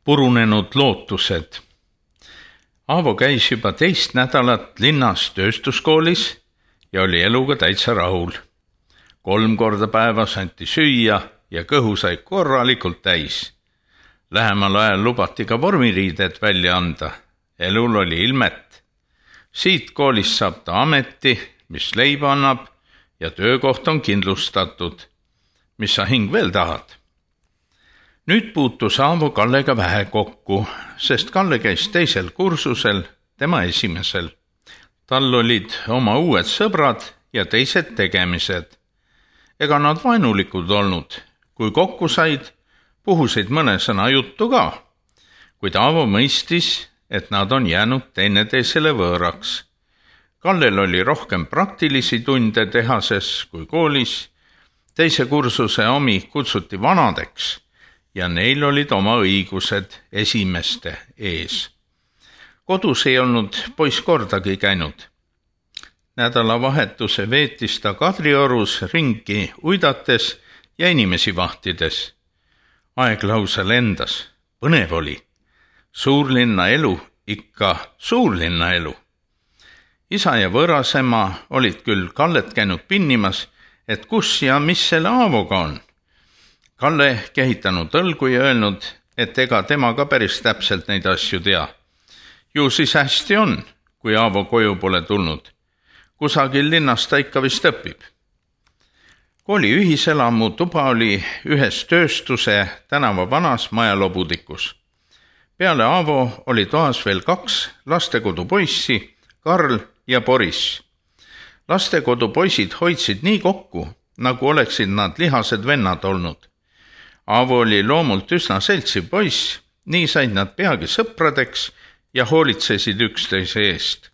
Purunenud lootused. Aavo käis juba teist nädalat linnas tööstuskoolis ja oli eluga täitsa rahul. 3 korda päevas anti süüa ja kõhu sai korralikult täis. Lähemal ajal lubati ka vormiriided välja anda. Elul oli ilmet. Siit koolist saab ta ameti, mis leiba annab ja töökoht on kindlustatud. Mis sa hing veel tahad? Nüüd puutus Aavo Kallega vähe kokku, sest Kalle käis teisel kursusel, tema esimesel. Tal olid oma uued sõbrad ja teised tegemised. Ega nad vaenulikud olnud. Kui kokku said, puhusid mõne sõna juttu ka. Kuid Aavo mõistis, et nad on jäänud teineteisele võõraks. Kallel oli rohkem praktilisi tunde tehases kui koolis. Teise kursuse omi kutsuti vanadeks ja neil olid oma õigused esimeste ees. Kodus ei olnud poiss kordagi käinud. Nädalavahetuse veetis ta Kadriorus ringi uidates ja inimesi vahtides. Aeg lausa lendas, põnev oli. Suurlinna elu, ikka suurlinna elu. Isa ja võõrasema olid küll Kallet käinud pinnimas, et kus ja mis selle Aavoga on. Kalle kehitanud õlgu ja öelnud, et ega tema ka päris täpselt neid asju tea. Ju siis hästi on, kui Aavo koju pole tulnud. Kusagil linnas ta ikka vist õpib. Kooli ühiselamu tuba oli ühes tööstuse tänava vanas majalobudikus. Peale Aavo oli toas veel 2 lastekodu poissi, Karl ja Boris. Lastekodu poisid hoidsid nii kokku, nagu oleksid nad lihased vennad olnud. Aavo oli loomult üsna seltsiv poiss, nii said nad peagi sõpradeks ja hoolitsesid üksteise eest.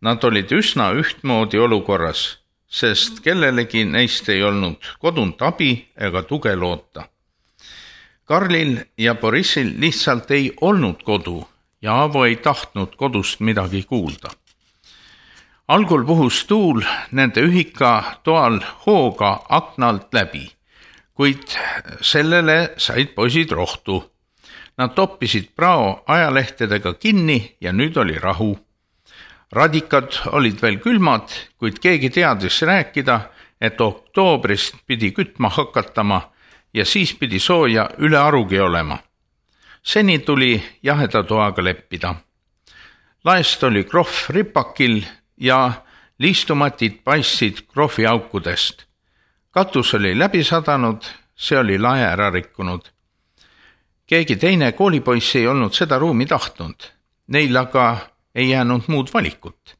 Nad olid üsna ühtmoodi olukorras, sest kellelegi neist ei olnud kodunt abi ega tuge loota. Karlil ja Borissil lihtsalt ei olnud kodu ja Aavo ei tahtnud kodust midagi kuulda. Algul puhus tuul nende ühika toal hooga aknalt läbi, kuid sellele said poisid rohtu. Nad toppisid prao ajalehtedega kinni ja nüüd oli rahu. Radikad olid veel külmad, kuid keegi teadis rääkida, et oktoobrist pidi kütma hakatama ja siis pidi sooja üle arugi olema. Seni tuli jaheda toaga leppida. Laest oli krohv ripakil ja liistumatid paistsid krohvi aukudest. Katus oli läbi sadanud, see oli lae ära rikkunud. Keegi teine koolipoiss ei olnud seda ruumi tahtnud. Neil aga ei jäänud muud valikut.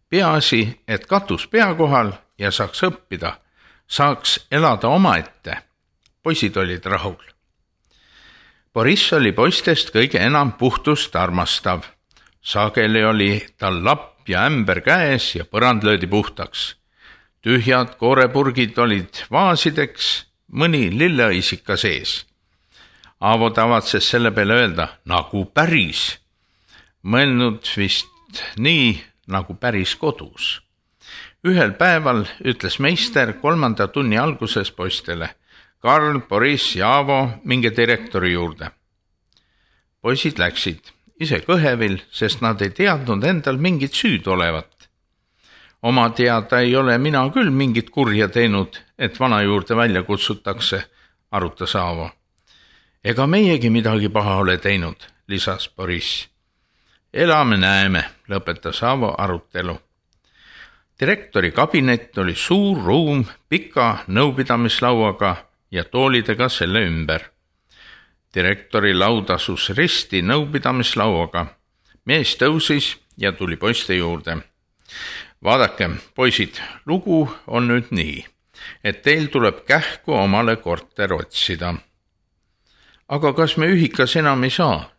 Peaasi, et katus pea kohal ja saaks õppida, saaks elada omaette. Poisid olid rahul. Boris oli poistest kõige enam puhtust armastav. Sageli oli tal lapp ja ämber käes ja põrand löödi puhtaks. Tühjad koorepurgid olid vaasideks, mõni lilleõisika sees. Aavo tavatses selle peale öelda, nagu päris. Mõelnud vist nii, nagu päris kodus. Ühel päeval ütles meister 3. tunni alguses poistele. Karl, Boris ja Aavo minge direktori juurde. Poisid läksid, ise kõhevil, sest nad ei teadnud endal mingit süüd olevat. Oma teada ei ole mina küll mingit kurja teinud, et vana juurde välja kutsutakse, arutas Aavo. Ega meiegi midagi paha ole teinud, lisas Boris. Elame näeme, lõpetas Aavo arutelu. Direktori kabinet oli suur ruum pika nõupidamislauaga ja toolidega selle ümber. Direktori laud asus risti nõupidamislauaga. Mees tõusis ja tuli poiste juurde. Vaadake, poisid, lugu on nüüd nii, et teil tuleb kähku omale korter otsida. Aga kas me ühikas enam ei saa?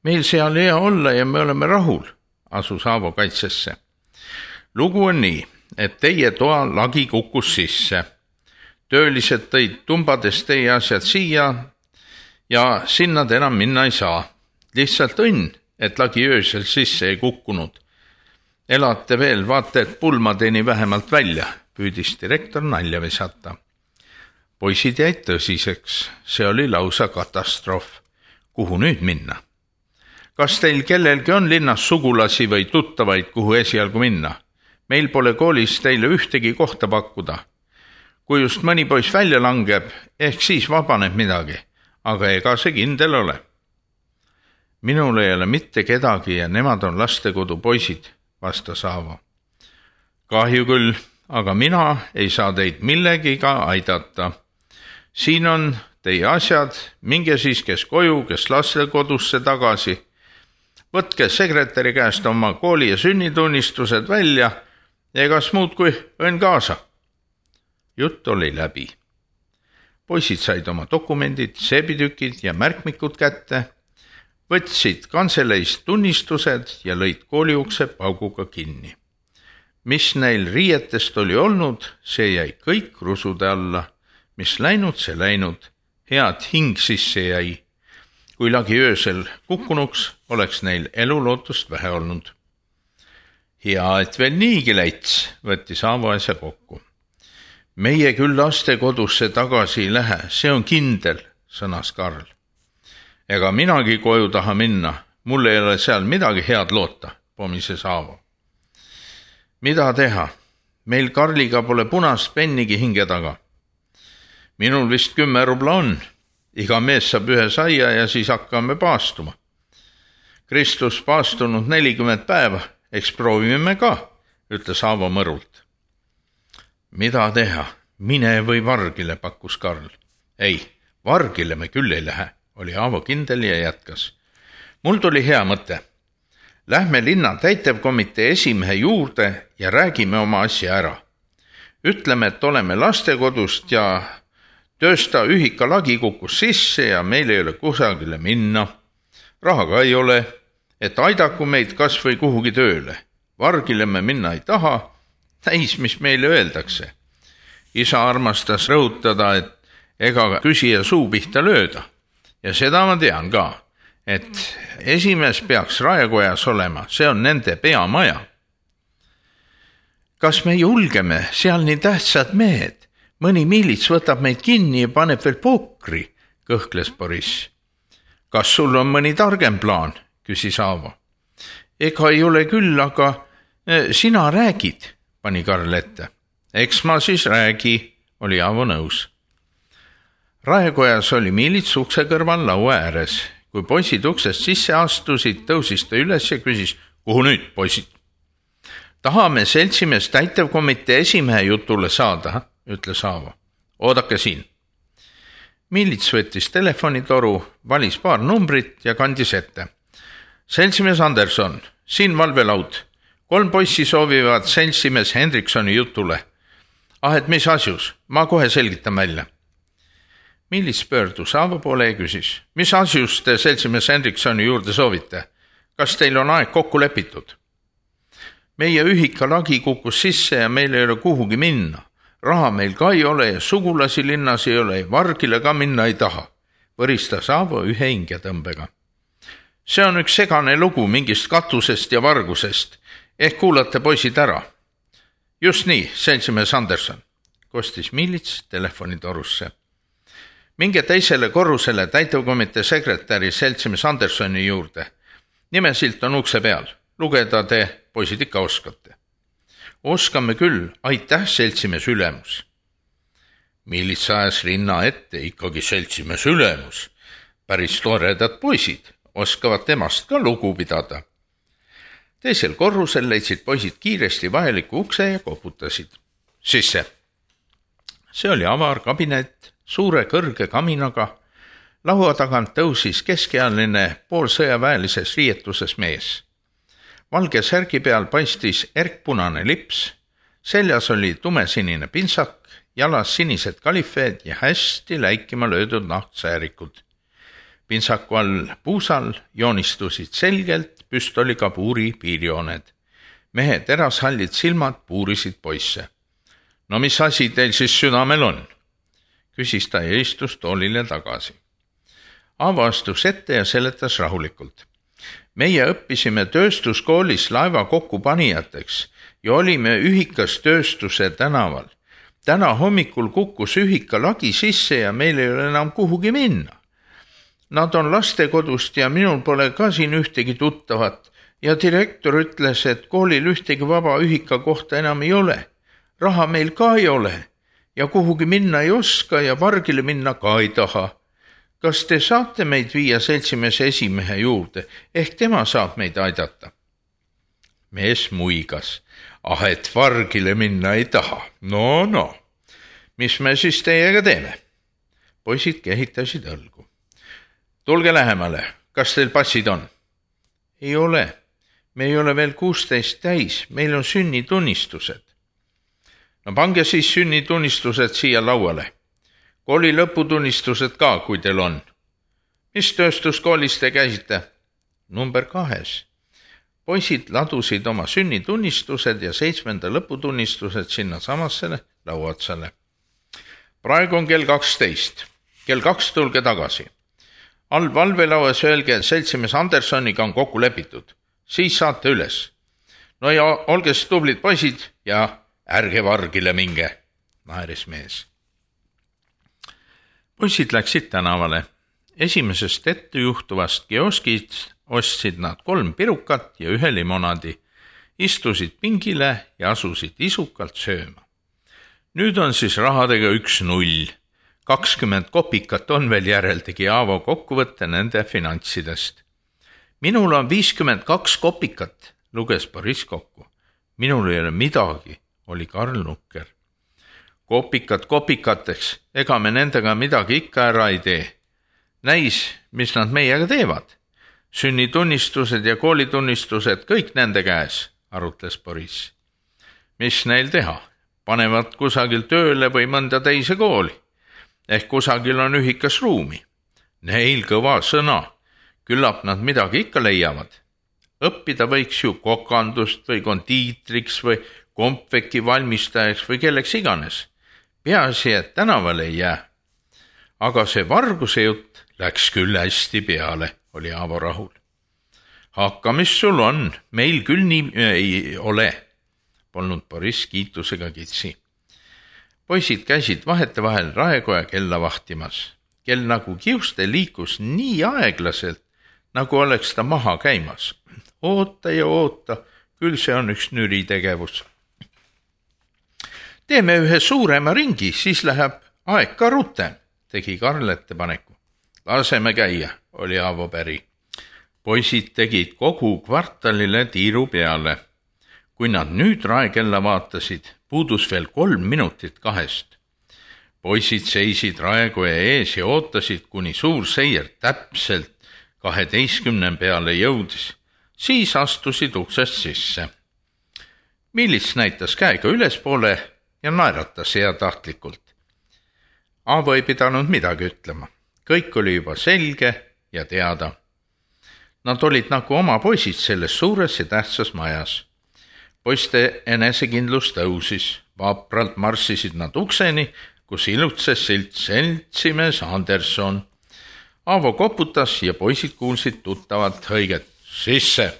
Meil seal hea olla ja me oleme rahul, asus Aavo kaitsesse. Lugu on nii, et teie toa lagi kukkus sisse. Töölised tõid tumbades teie asjad siia ja sinna te enam minna ei saa. Lihtsalt õnn, et lagi öösel sisse ei kukkunud. Elate veel, vaata, et pulmadeni vähemalt välja, püüdis direktor nalja visata. Poisid jäid tõsiseks, see oli lausa katastroof. kuhu nüüd minna? Kas teil kellelgi on linnas sugulasi või tuttavaid, kuhu esialgu minna? Meil pole koolis teile ühtegi kohta pakkuda. Kui just mõni poiss välja langeb, ehk siis vabaneb midagi, aga ega see kindel ole. Minul ei ole mitte kedagi ja nemad on lastekodu poisid, vastas Aavo. Kahju küll, aga mina ei saa teid millegiga aidata. Siin on teie asjad, minge siis kes koju, kes lastekodusse tagasi. Võtke sekretäri käest oma kooli ja sünnitunnistused välja ja egas muud kui õnn kaasa. Jutt oli läbi. Poisid said oma dokumendid, seebitükid ja märkmikud kätte, võtsid kantseleist tunnistused ja lõid kooliukse pauguga kinni. Mis neil riietest oli olnud, see jäi kõik rusude alla. Mis läinud, see läinud. Head hing sisse jäi. Kui lagi öösel kukkunuks, oleks neil elulootust vähe olnud. Hea, et veel niigi läits, võttis Aavo asja kokku. Meie küll lastekodusse tagasi ei lähe, see on kindel, sõnas Karl. Ega minagi koju taha minna, mul ei ole seal midagi head loota, pomises Aavo. Mida teha? Meil Karliga pole punast pennigi hinge taga. Minul vist 10 rubla on. Iga mees saab ühe saia ja siis hakkame paastuma. Kristus paastunud 40 päeva, eks proovime ka, ütles Aavo mõrult. Mida teha? Mine või vargile, pakkus Karl. Ei, vargile me küll ei lähe, oli Aavo kindel ja jätkas. Mul tuli hea mõte. Lähme linna täitevkomitee esimehe juurde ja räägime oma asja ära. Ütleme, et oleme lastekodust ja töösta ühika lagi kukkus sisse ja meil ei ole kusagile minna. Raha ka ei ole, et aidaku meid kas või kuhugi tööle. Vargile me minna ei taha, täis mis meile öeldakse. Isa armastas rõhutada, et ega küsija suu pihta lööda. Ja seda ma tean ka, et esimees peaks raekojas olema, see on nende peamaja. Kas me julgeme, seal nii tähtsad mehed? Mõni miilits võtab meid kinni ja paneb veel pokri, kõhkles Boriss. Kas sul on mõni targem plaan, küsis Aavo. Ega ei ole küll, aga sina räägid, pani Karl ette. Eks ma siis räägi, oli Aavo nõus. Raekojas oli miilits ukse kõrval laua ääres. Kui poisid uksest sisse astusid, tõusis ta üles ja küsis, kuhu nüüd, poisid? Tahame seltsimees täitevkomitee esimehe jutule saada, ütles Aavo. Oodake siin. Miilits võttis telefonitoru, valis paar numbrit ja kandis ette. Seltsimees Anderson, siin valvelaud. 3 poissi soovivad seltsimees Hendriksoni jutule. Et mis asjus? Ma kohe selgitan välja. Miilits pöördus Aavo poole ja küsis. Mis asjus te seltsimees Hendriksoni juurde soovite? Kas teil on aeg kokku lepitud? Meie ühika lagi kukkus sisse ja meil ei ole kuhugi minna. Raha meil ka ei ole ja sugulasi linnas ei ole ja vargile ka minna ei taha, võristas Aavo ühe hingetõmbega. See on üks segane lugu mingist katusest ja vargusest. Ehk kuulate poisid ära. Just nii, seltsimees Anderson, kostis Miilits telefonitorusse. Minge teisele korrusele täitevkomitee sekretäri seltsimees Andersoni juurde. Nimesilt on ukse peal. Lugeda te, poisid, ikka oskate. Oskame küll, aitäh, seltsimees ülemus. Miilits ajas rinna ette, ikkagi seltsimees ülemus. Päris toredad poisid, oskavad temast ka lugu pidada. Teisel korrusel leidsid poisid kiiresti vajaliku ukse ja koputasid. Sisse. See oli avar kabinet, suure kõrge kaminaga. Laua tagant tõusis keskealine poolsõjaväelises riietuses mees. Valge särgi peal paistis erkpunane lips, seljas oli tumesinine pintsak, jalas sinised kalifeed ja hästi läikima löödud nahtsäärikud. Pintsaku all puusal joonistusid selgelt püstolikapuuri piirjooned. Mehe terashallid silmad puurisid poisse. No mis asi teil siis südamel on? Küsis ta ja istus toolile tagasi. Aavo astus ette ja seletas rahulikult. Meie õppisime tööstuskoolis laeva kokkupanijateks ja olime ühikas tööstuse tänaval. Täna hommikul kukkus ühika lagi sisse ja meil ei ole enam kuhugi minna. Nad on lastekodust ja minul pole ka siin ühtegi tuttavat ja direktor ütles, et koolil ühtegi vaba ühika kohta enam ei ole. Raha meil ka ei ole ja kuhugi minna ei oska ja pargile minna ka ei taha. Kas te saate meid viia seltsimees esimehe juurde, ehk tema saab meid aidata? Mees muigas. Et vargile minna ei taha. No, mis me siis teiega teeme? Poisid kehitasid õlgu. Tulge lähemale, kas teil passid on? Ei ole, me ei ole veel 16 täis, meil on sünnitunnistused. No pange siis sünnitunnistused siia lauale. Kooli lõputunnistused ka, kui teil on. Mis tööstuskoolis te käisite? Number 2. Poisid ladusid oma sünnitunnistused ja 7. lõputunnistused sinna samasse lauaotsale. Praegu on kell 12. Kell 2 tulge tagasi. All valvelauas öelge, et seltsimees Andersoniga on kokku lepitud. Siis saate üles. No ja olge tublid poisid ja ärge vargile minge, naeris mees. Poisid läksid tänavale. Esimesest ettejuhtuvast kioskist ostsid nad 3 pirukat ja 1 limonaadi, istusid pingile ja asusid isukalt sööma. Nüüd on siis rahadega 1-0. 20 kopikat on veel järel, tegi Aavo kokkuvõtte nende finantsidest. Minul on 52 kopikat, luges Boris kokku. Minul ei ole midagi, oli Karl nukker. Kopikad kopikateks, ega me nendega midagi ikka ära ei tee. Näis, mis nad meiega teevad. Sünnitunnistused ja koolitunnistused kõik nende käes, arutles Boris. Mis neil teha? Panevad kusagil tööle või mõnda teise kooli. Ehk kusagil on ühikas ruumi. Neil kõva sõna. Küllap nad midagi ikka leiavad. Õppida võiks ju kokandust või kondiitriks või kompveki valmistajaks või kelleks iganes. Peaasi, et tänavale ei jää. Aga see varguse jutt läks küll hästi peale, oli Aavo rahul. Hakka, mis sul on, meil küll nii ei ole, polnud Boris kiitusega kitsi. Poisid käisid vahetevahel raekoja kella vahtimas. Kell nagu kiuste liikus nii aeglaselt, nagu oleks ta maha käimas. Oota ja oota, küll see on üks nüri tegevus. Teeme ühe suurema ringi, siis läheb aeg ka rutem, tegi Karl ettepaneku. Laseme käia, oli Aavo päri. Poisid tegid kogu kvartalile tiiru peale. Kui nad nüüd raekella vaatasid, puudus veel 3 minutit 2. Poisid seisid raekoja ees ja ootasid, kuni suur seier täpselt 12 peale jõudis. Siis astusid uksest sisse. Milits näitas käega ülespoole ja naeratas heatahtlikult. Aavo ei pidanud midagi ütlema. Kõik oli juba selge ja teada. Nad olid nagu oma poisid selles suures ja tähtsas majas. Poiste enesekindlus tõusis. Vapralt marssisid nad ukseni, kus ilutses silt seltsimees Anderson. Aavo koputas ja poisid kuulsid tuttavat hõiget. Sisse!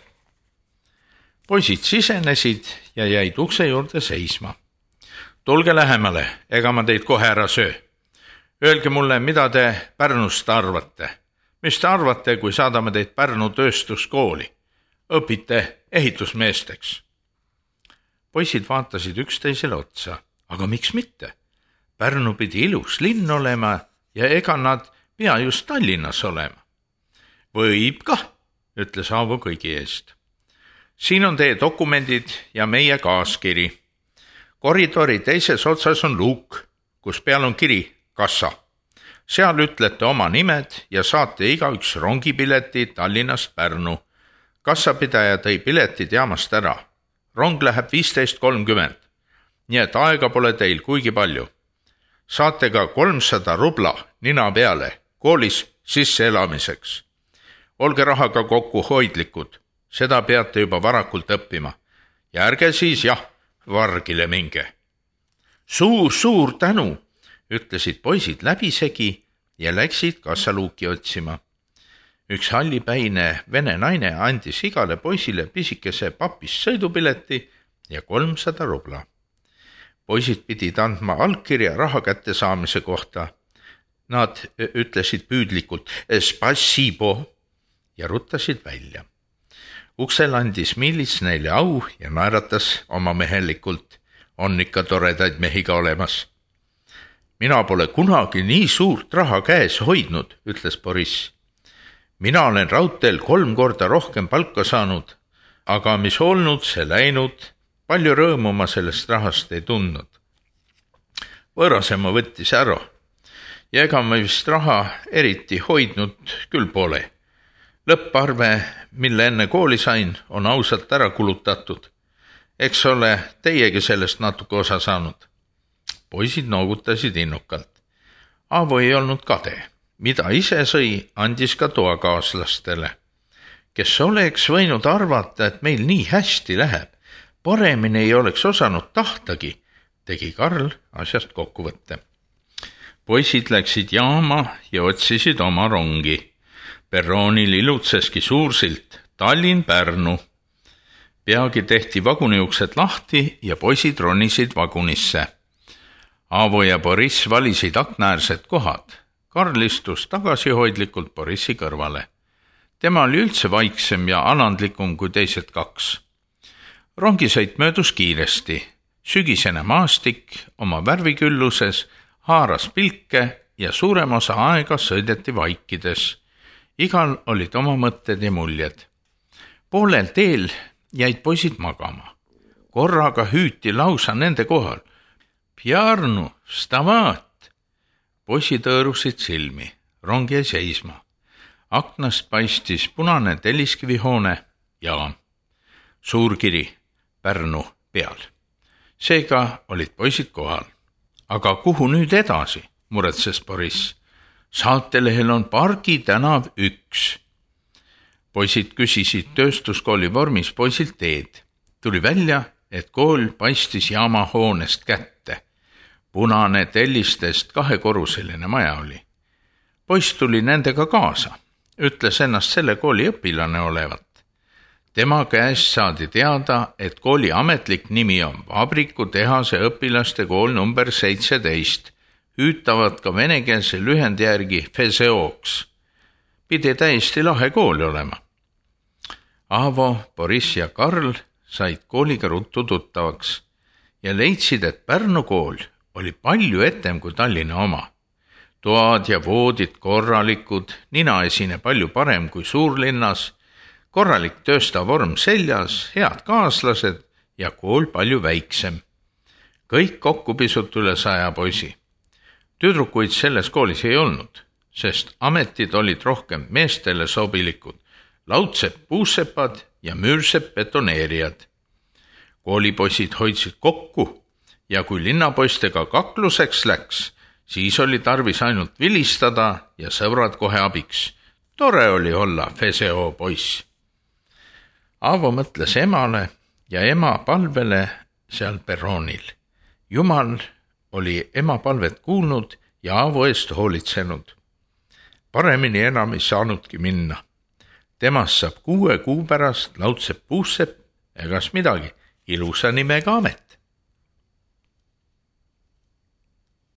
Poisid sisenesid ja jäid ukse juurde seisma. Tulge lähemale, ega ma teid kohe ära söö. Öelge mulle, mida te Pärnust arvate. Mis te arvate, kui saadame teid Pärnu tööstuskooli? Õpite ehitusmeesteks. Poisid vaatasid üksteisele otsa. Aga miks mitte? Pärnu pidi ilus linn olema ja ega nad pea just Tallinnas olema. Võib kah, ütles Aavo kõigi eest. Siin on teie dokumendid ja meie kaaskiri. Koridori teises otsas on luuk, kus peal on kiri kassa. Seal ütlete oma nimed ja saate igaüks rongipileti Tallinnast Pärnu. Kassapidaja tõi piletid jaamast ära. Rong läheb 15:30, nii et aega pole teil kuigi palju. Saate ka 300 rubla nina peale koolis sisseelamiseks. Olge rahaga kokku hoidlikud, seda peate juba varakult õppima. Ja ärge siis vargile minge. Suur tänu, ütlesid poisid läbisegi ja läksid kassaluuki otsima. Üks hallipäine vene naine andis igale poisile pisikese papist sõidupileti ja 300 rubla. Poisid pidid andma allkirja raha kätte saamise kohta. Nad ütlesid püüdlikult "Spasibo" ja ruttasid välja. Uksel andis miilits neile au ja naeratas oma mehelikult. On ikka toredaid mehi ka olemas. Mina pole kunagi nii suurt raha käes hoidnud, ütles Boriss. Mina olen raudteel 3 korda rohkem palka saanud, aga mis olnud, see läinud, palju rõõmu ma sellest rahast ei tundnud. Võõrasema võttis ära ja ega ma vist raha eriti hoidnud küll pole. Lõpparve, mille enne kooli sain, on ausalt ära kulutatud. Eks ole teiegi sellest natuke osa saanud. Poisid noogutasid innukalt. Aavo ei olnud kade. Mida ise sõi, andis ka toakaaslastele. Kes oleks võinud arvata, et meil nii hästi läheb, paremini ei oleks osanud tahtagi, tegi Karl asjast kokkuvõtte. Poisid läksid jaama ja otsisid oma rongi. Perroonil ilutseski suursilt Tallinn-Pärnu. Peagi tehti vaguniuksed lahti ja poisid ronisid vagunisse. Aavo ja Boriss valisid aknaäärsed kohad. Karl istus tagasihoidlikult Borissi kõrvale. Tema oli üldse vaiksem ja alandlikum kui teised 2. Rongisõit möödus kiiresti. Sügisene maastik oma värvikülluses haaras pilke ja suurem osa aega sõideti vaikides. Igal olid oma mõtted ja muljed. Poolel teel jäid poisid magama. Korraga hüüti lausa nende kohal. Pjarnu, stavat! Poisid õõrusid silmi. Rong jäi seisma. Aknast paistis punane telliskivihoone ja suurkiri Pärnu peal. Seega olid poisid kohal. Aga kuhu nüüd edasi, muretses Boriss. Saatelehel on Pargi tänav 1. Poisid küsisid tööstuskooli vormis poisilt teed. Tuli välja, et kool paistis jaamahoonest kätte. Punane tellistest 2-korruseline maja oli. Poiss tuli nendega kaasa. Ütles ennast selle kooli õpilane olevat. Tema käest saadi teada, et kooli ametlik nimi on Vabriku tehase õpilaste kool number 17. Hüütavad ka venekeelse lühendi järgi FESEOks. Pidi täiesti lahe kool olema. Aavo, Boriss ja Karl said kooliga ruttu tuttavaks ja leidsid, et Pärnu kool oli palju etem kui Tallinna oma. Toad ja voodid korralikud, ninaesine palju parem kui suurlinnas, korralik tööstavorm seljas, head kaaslased ja kool palju väiksem. Kõik kokku pisut üle 100 poisi. Tüdrukuid selles koolis ei olnud, sest ametid olid rohkem meestele sobilikud, laudsepp puussepad ja müürsepp betoneerijad. Koolipoisid hoidsid kokku ja kui linnapoistega kakluseks läks, siis oli tarvis ainult vilistada ja sõbrad kohe abiks. Tore oli olla FESEO poiss. Aavo mõtles emale ja ema palvele seal perroonil. Jumal oli ema palvet kuulnud ja Aavo eest hoolitsenud. Paremini enam ei saanudki minna. Temast saab 6 kuu pärast laudsepp puussepp ja kas midagi, ilusa nimega amet.